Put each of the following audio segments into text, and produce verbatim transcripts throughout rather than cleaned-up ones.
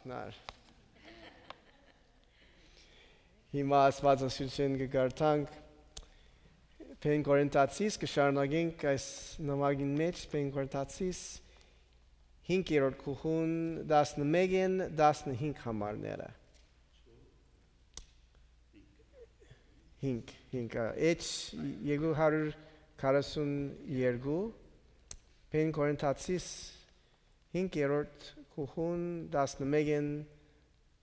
Նար։ Հիմա Աստուածաշունչէն կը կարդանք Փեն Կորինթացիս, կը շարունակենք այս նամակին մէջ, Փեն Կորինթացիս, հինգերորդ գլխուն, տասնմէկէն տասնհինգ համարները։ Հինգ, հինգ, ա, էջ երկու հարյուր քառասուն երկու, Փեն Կորինթացիս, հինգերորդ գլխուն, տասնմէկէն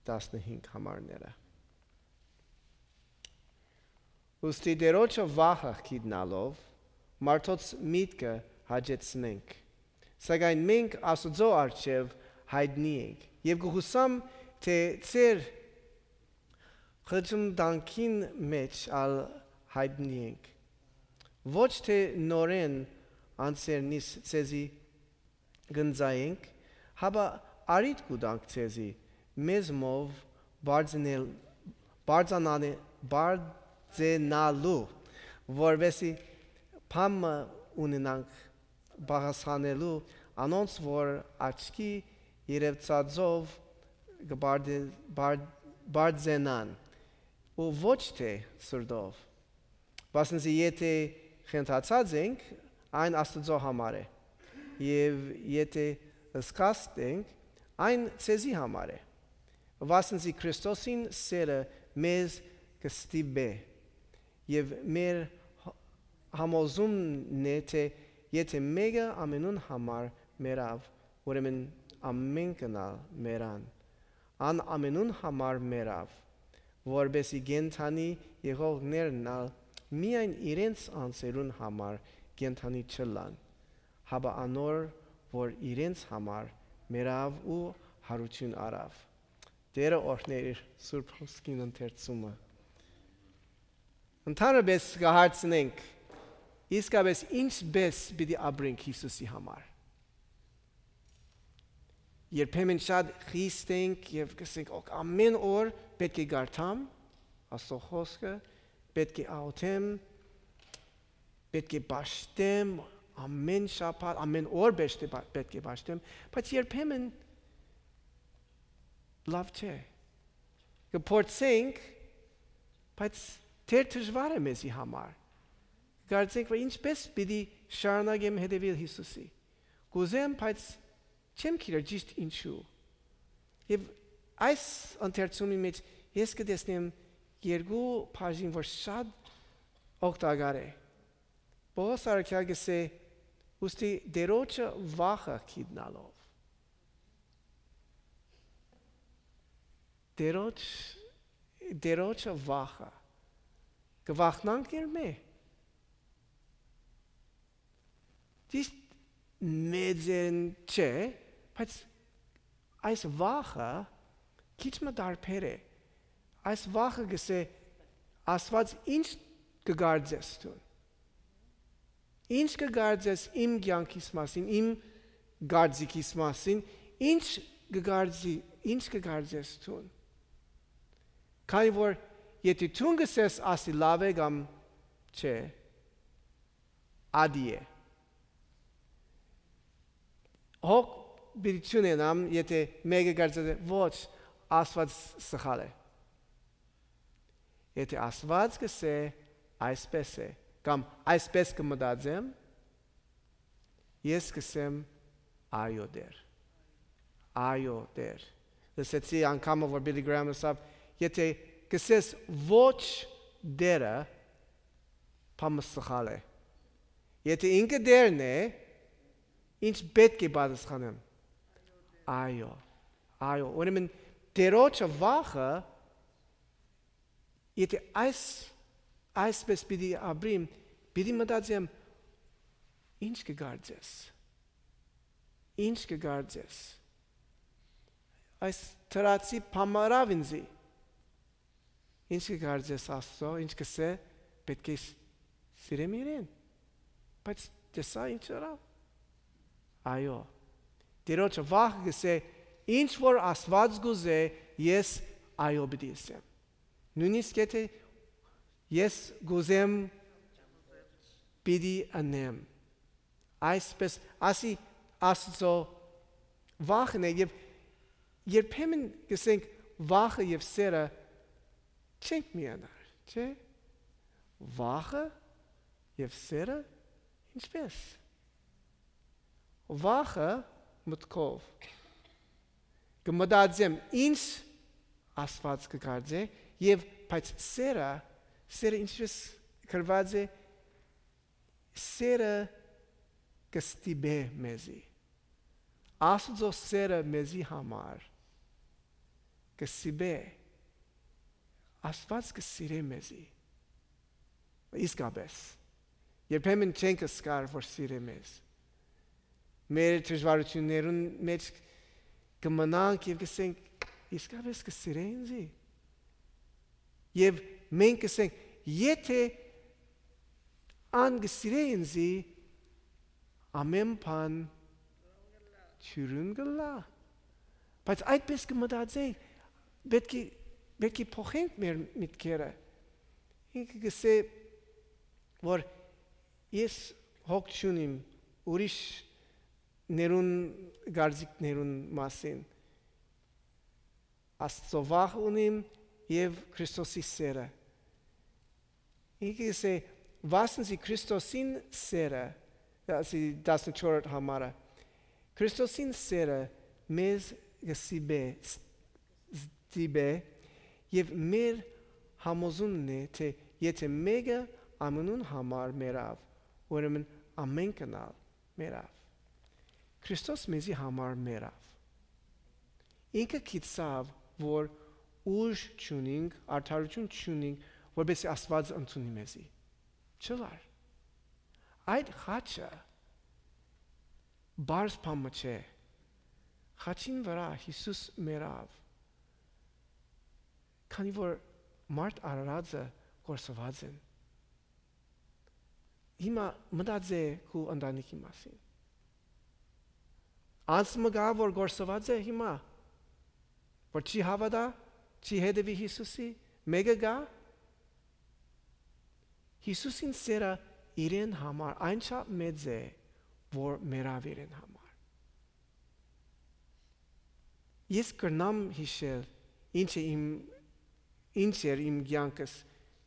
տասնհինգ համարները։ Ուստի Տէրոջը վախը գիտնալով, մարդոց միտքը հաճեցնենք, սակայն մենք Աստուծոյ առջեւ յայտնի ենք եւ կը յուսամ, թէ ձեր խճմտանքին մէջ ալ յայտնի ենք։ Ոչ թէ նորէն անձերնիս ձեզի կ'ընծայենք, հապա առիթ կու տանք ձեզի, մեզմով բարձնել-, բարձանանե-, բարձենալու, որպեսզի բան մը ունենանք բաղասանելու անոնց, որ աչքի երեւցածով կը բարդե-, բար-, բարձենան, ու ոչ թէ սրտով։ Վասն զի եթէ խենթացած ենք, այն Աստուծոյ համար է, եւ եթէ սքաստ ենք, այն ձեզի համար է։ Վասն զի Քրիստոսին սէրը մեզ կը ստիպէ, եւ մեր յ-, համոզումն է, թէ եթէ մէկը ամենուն համար մեռաւ, ուրեմն ամէնքն ալ մեռան։ Ան ամենուն համար մեռաւ, որպէս զի կենդանի եղողներն ալ միայն իրենց անձերուն համար կենդանի չըլլան, հապա անոր, որ իրենց համար մեռաւ ու յարութիւն առաւ։ Տէրը օրհներ իր Սուրբ Հոսքին ընթերցումը։ Ընդհանրապէս կը հարցնենք, իսկապէս ինչպէս պիտի ապրենք Յիսուսի համար։ Երբեմն շատ խիստ ենք եւ կ'ըսենք, «Օք, ամէն օր պէտք է կարդամ Աստուծոյ խօսքը, պէտք է աղօթեմ, պէտք է պաշտեմ, ամէն շաբաթ, ամէն օր պէտք է պա-, պէտք է պաշտեմ», բայց երբեմն լաւ չէ։ Կը փորձենք, բայց թեր դժուար է մեզի համար։ Կը կարծենք, որ ինչպէս պիտի շարունակեմ հետեւել Յիսուսի։ Կ'ուզեմ, բայց չեմ գիտեր ճիշտ ինչու։ Եւ այս ընթերցումի մէջ ես կը տեսնեմ երկու բաժին, որ շատ օգտակար է։ Պողոս առաքյալ կ'ըսէ, ուստի Տէրոջը վախը գիտնալով։ Տէրոջ, Տէրոջը վախը։ Կը վախնանք իրմէ։ Ճիշտ մեծերն չէ, բայց այս վախը քիչ մը տարբեր է։ Այս վախը կ'ըսէ, «Աստուած, ինչ կը կարծես դուն։ Ինչ կը կարծես իմ կեանքիս մասին, իմ կարծիքիս մասին, ինչ կը կարծի-, ինչ կը կարծես դուն»։ Քանի որ եթէ դուն կ'ըսես, ասի լաւ է կամ չէ, ատի է։ Հոգ պիտի չունենամ, եթէ մէկը կարծես է, «Ոչ, Աստուած սխալ է»։ Եթէ Աստուած կ'ըսէ, «Այսպէս է», կամ «Այսպէս կը մտածեմ», ես կ'ըսեմ, «Այո, Տէր։ Այո, Տէր»։ Լսեցի անգամը, որ Բիլի Գրահամ ըսաւ, «Եթէ կ'ըսես, "Ոչ, Տէրը", բան մը սխալ է։ Եթէ ինքը Տէրն է, ինչ պէտք է պատասխանեմ։ Այո, այո»։ Ուրեմն Տէրոջը վախը, եթէ այս, այսպես պիտի ապրիմ, պիտի մտածեմ, «Ինչ կը կարծես։ Ինչ կը կարծես։ Այս թրացի բան մը ըրաւ ինձի։ Ինչ կը կարծես Աստծո, ինչ կ'ըսէ, պէտք է ս-, սիրեմ իրեն»։ Բայց տեսա ինչ ըրաւ։ Այո, Տիրոջը վախ կ'ըսէ, ինչ որ Աստուած կ'ուզէ, ես այո պիտի ըսեմ։ Նոյնիսկ եթէ ես կ'ուզեմ, պիտի ընեմ։ Այսպես ասի Աստծո վախն է, եւ երբեմն կ'ըսենք, վախը եւ սերը չենք միանար, չէ՞։ Վախը եւ սերը ինչպէս։ Վախը մտքով կը մտածեմ, ինչ Աստուած կը կարծէ, եւ բայց սերը, սերը ինչպէս գրուած է, սերը կը ստիպէ մեզի։ Աստուծոյ սերը մեզի համար կը ստիպէ։ Աստուած կը սիրէ մեզի։ Իսկապէս։ Երբեմն չենք զգար որ սիրէ մեզ։ Մեր դժուարութիւններուն մէջ կը մնանք եւ կ'ըսենք, «Իսկապէս կը սիրէ ինձի»։ Եւ մենք կ'ըսենք, «Եթէ ան կը սիրէ ինձի, ամէն բան դիւրին կ'ըլլայ»։ Բայց այդպէս կը մտածենք, պէտք է, պէտք է փոխենք մեր միտքերը։ Ինքը կ'ըսէ, որ ես հոգ չունիմ ուրիշներուն կարծիքներուն մասին։ Աստուծոյ վախ ունիմ եւ Քրիստոսի սերը։ Ինքը կ'ըսէ, վասն զի Քրիստոսին սերը, դասի տասնչորս համարը, Քրիստոսին սերը մեզ կը ստիպէ, ս-, ստիպէ, եւ մեր համոզումն է, թէ եթէ մէկը ամենուն համար մեռաւ, ուրեմն ամէնքն ալ մեռաւ։ Քրիստոս մեզի համար մեռաւ։ Ինքը գիտցաւ, որ ուժ չունինք, արդարութիւն չունինք, որպեսզի Աստուած ընդունի մեզի։ Չըլլար։ Այդ խաչը պարզ բան մը չէ։ Խաչին վրայ Յիսուս մեռաւ, քանի որ մարդ արարածը կորսուած են։ Հիմա մտածէ քու ընտանիքի մասին։ Անձ մը կայ, որ կորսուած է հիմա, որ չի հաւատայ, չի հետեւի Յիսուսի, մէկը կայ։ Յիսուսին սերը իրեն համար այնչափ մեծ է, որ մեռաւ իրեն համար։ Ես կրնամ յիշել ինչ է իմ, ինչ էր իմ կեանքս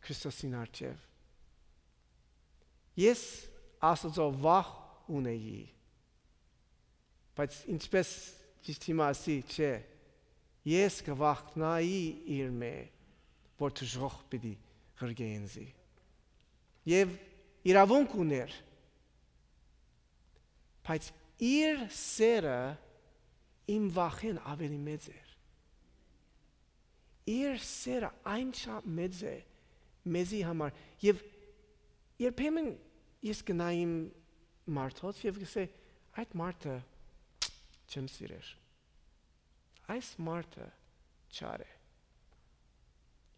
Քրիստոսին առջեւ։ Ես Աստուծոյ վախ ունեի, բայց ինչպես ճիշդ հիմա ասի, չէ, ես կը վախնայի իրմէ, որ դժոխք պիտի ղրկէ ինձի։ Եւ իրաւունք ունէր, բայց իր սերը իմ վախէն աւելի մեծ էր։ Իր սերը այնչափ մեծ է մեզի համար։ Եւ երբեմն ես գնայ իմ մարդոց եւ կ'ըսէ, «Այդ մարդը չեմ սիրեր։ Այս մարդը չար է»։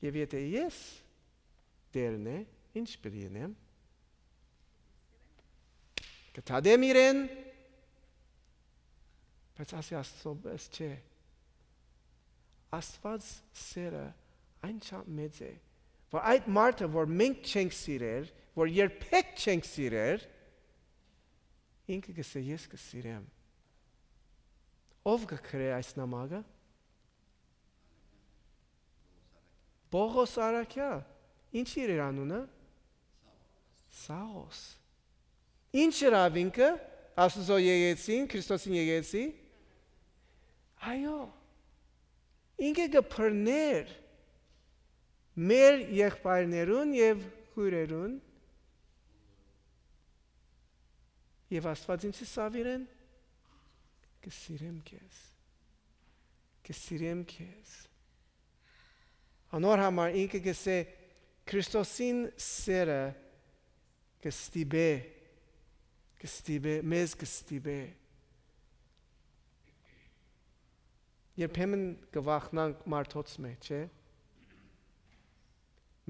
Եւ եթէ ես Տէրն է, ինչ պիտի ընեմ։ Կը դատեմ իրեն, բայց ասի Աստուծոյ, «Պես չէ»։ Աստուած սերը այնչափ մեծ է, որ այդ մարդը, որ մենք չենք սիրեր, որ երբեք չենք սիրեր, ինքը կ'ըսէ, «Ես կը սիրեմ»։ Ո՞վ կը գրէ այս նամակը։ Պողոս Արաքեա, ինչ էր իր անունը։ Սաղոս։ Ինչ ըրաւ ինքը, Աստուծոյ եկեցին, Քրիստոսին եկեցի։ Այո, ինքը կը բռներ մեր եղբայրներուն եւ քոյրերուն, եւ Աստուած ինչ ըսաւ իրեն։ Կը սիրեմ քեզ, կը սիրեմ քեզ։ Անոր համար ինքը կ'ըսէ, Քրիստոսին սերը կը ստիպէ, կը ստիպէ, մեզ կը ստիպէ։ Երբեմն կը վախնանք մարդոց մէ, չէ՞։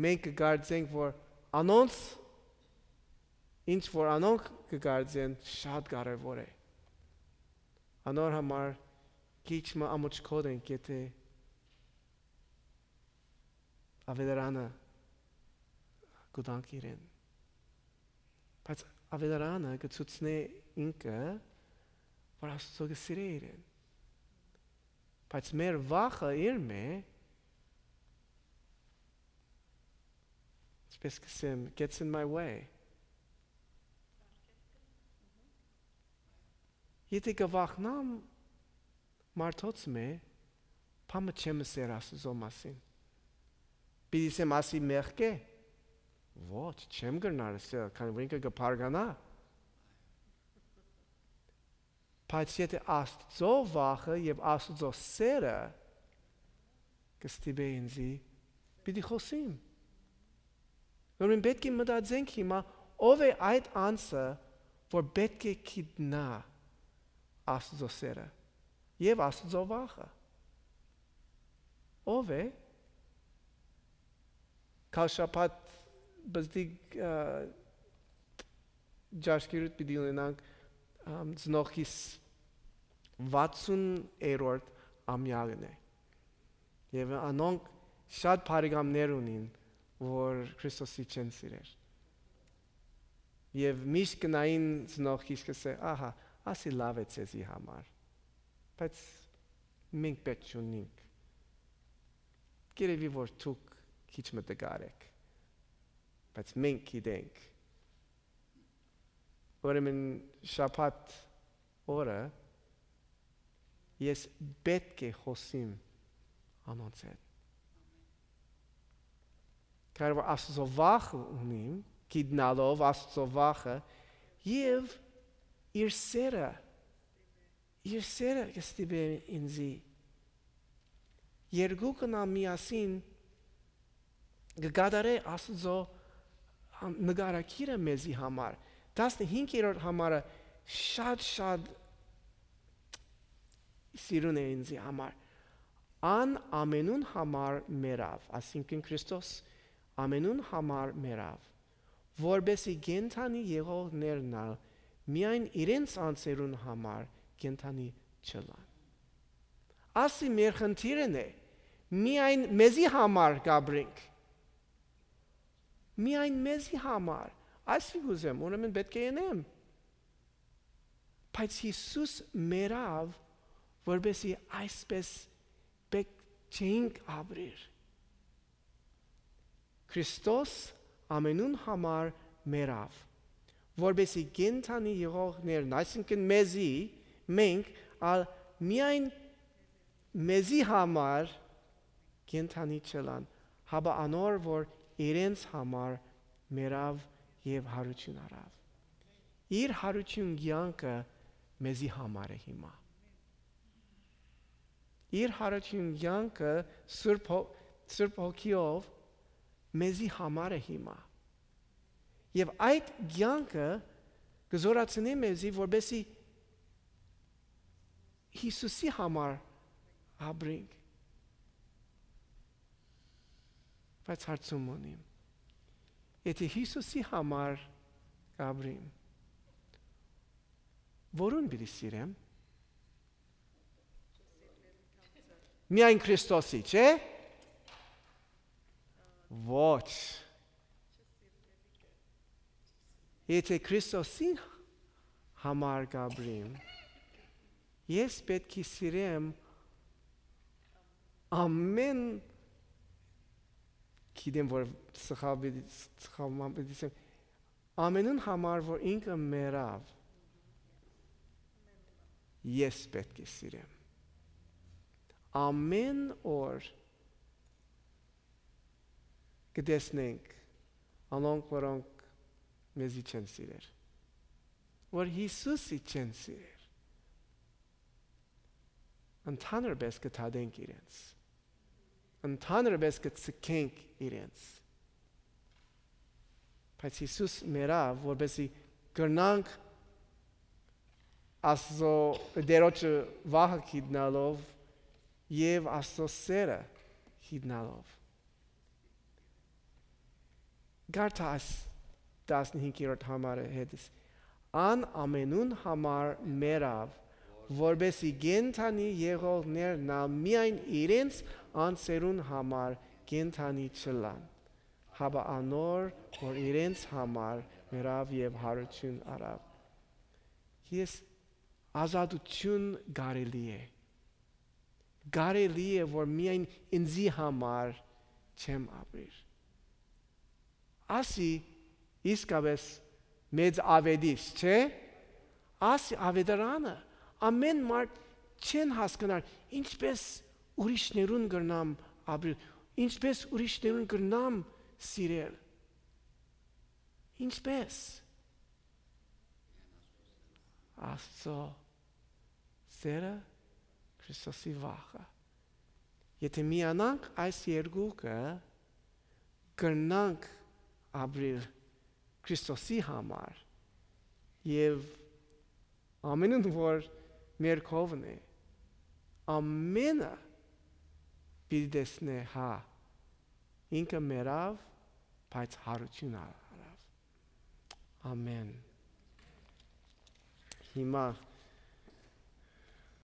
Մենք կը կարծենք, որ անոնց, ինչ որ անոնք կը կարծեն, շատ կարեւոր է։ Անոր համար քիչ մը ամոչկոտ ենք, եթէ ավետարանը կու տանք իրեն։ Բայց ավետարանը կը ցուցնէ ինքը, որ Աստուծոյ կը սիրէ իրեն։ Բայց մեր վախը իրմէ, այսպես կ'ըսեմ, gets in my way. Եթէ կը վախնամ մարդոց մէ, բան մը չեմ ըսեր Աստուծոյ մասին։ Պիտի ըսեմ, ասի մեղք է։ Ոչ, չեմ կրնար ըսել, քանի որ ինքը կը բարկանայ։ Բայց եթէ Աստուծոյ վախը եւ Աստուծոյ սերը կը ստիպէ ինծի, պիտի խօսիմ։ Ուրեմն պէտք է մտածենք հիմա, ո՞վ է այդ անձը, որ պէտք է գիտնայ Աստուծոյ սերը եւ Աստուծոյ վախը։ Ո՞վ է։ Քալ շաբաթ բզդիկ, ը, ճաշկերուտ պիտի ունենանք, ըմ, ծնողքիս վաթսուն երրորդ ամեակն է։ Եւ անոնք շատ բարեկամներ ունին, որ Քրիստոսի չեն սիրեր։ Եւ միշտ գնային ծնողքիս կ'ըսէ, «Ահա, ասի լաւ է ձեզի համար, բայց մենք պէտք չունինք։ Գերեւի որ դուք քիչ մը տկար էք, բայց մենք գիտենք»։ Ուրեմն շաբաթ օրը ես պէտք է խօսիմ անոնց հետ։ Քանի որ Աստուծոյ վախը ունիմ, գիտնալով Աստուծոյ վախը եւ իր սերը, իր սերը կը ստիպէ ինծի։ Երկուքն ալ միասին կը կատարէ Աստուծոյ նկարագիրը մեզի համար։ Տասնհինգերորդ համարը շատ, շատ սիրուն է ինձի համար։ Ան ամենուն համար մեռաւ, այսինքն Քրիստոս ամենուն համար մեռաւ, որպէսզի կենդանի եղողներն ալ միայն իրենց անձերուն համար կենդանի չըլլան։ Ասի մեր խնդիրն է, միայն մեզի համար կ'ապրենք։ Միայն մեզի համար։ Այսի կ'ուզեմ, ուրեմն պէտք է ընեմ։ Բայց Յիսուս մեռաւ, որպէսզի այսպես պէտք չէինք ապրիր։ Քրիստոս ամենուն համար մեռաւ, որպէսզի կենդանի եղողներն, այսինքն մեզի, մենք ալ միայն մեզի համար կենդանի չըլլան, հապա անոր, որ իրենց համար մեռաւ եւ յարութիւն առաւ։ Իր յարութիւն կեանքը մեզի համար է հիմա։ Իր յարութիւն կեանքը Սուրբ Հո-, Սուրբ Հոգիով մեզի համար է հիմա։ Եւ այդ կեանքը կը զօրացնի մեզի, որպէսզի Յիսուսի համար ապրենք։ Բայց հարցում ունիմ. եթէ Յիսուսի համար կ'ապրիմ, որուն պիտի սիրեմ։ Միայն Քրիստոսի, չէ՞։ Ոչ։ Եթէ Քրիստոսի համար կ'ապրիմ, ես պէտք է սիրեմ ամեն, գիտեմ, որ սխալ պիտի, սխալ պիտի ասեմ, ամենուն համար, որ ինքը մեռաւ, ես պէտք է սիրեմ։ Ամեն օր կը տեսնենք անոնք, որոնք մեզի չեն սիրեր, որ Յիսուսի չեն սիրեր, ընդհանրապես կը դատենք իրենց, ընդհանրապես կը ցկենք իրենց։ Բայց Յիսուս մեռաւ, որպեսզի կրնանք Աստծո, Տիրոջը վախը գիտնալով եւ Աստծո սերը գիտնալով։ Կարդա այս տասնհինգերորդ համարը հետս։ Ան ամենուն համար մեռաւ, որպեսզի կենդանի եղողներն ալ միայն իրենց անձերուն համար կենդանի չըլլան, հապա անոր, որ իրենց համար մեռաւ եւ յարութիւն առաւ։ Ես ազատութիւն կարելի է։ կարելի է որ միայն ինծի համար չեմ ապրիր։ Ասի իսկապես մեծ աւետիս, չէ՞։ Ասի աւետարանը, ամեն մարդ չեն հասկնար, ինչպես ուրիշներուն կրնամ ապրիլ, ինչպես ուրիշներուն կրնամ սիրել։ Ինչպես։ Աստծո սերը, Քրիստոսի վախը։ Եթե միանանք այս երկուքը, կրնանք ապրիլ Քրիստոսի համար եւ ամենուն որ մեր կողմն է, ամենը պիտի տեսնէ, հա, ինքը մեռաւ, բայց յարութիւն առաւ։ Ամեն։ Հիմա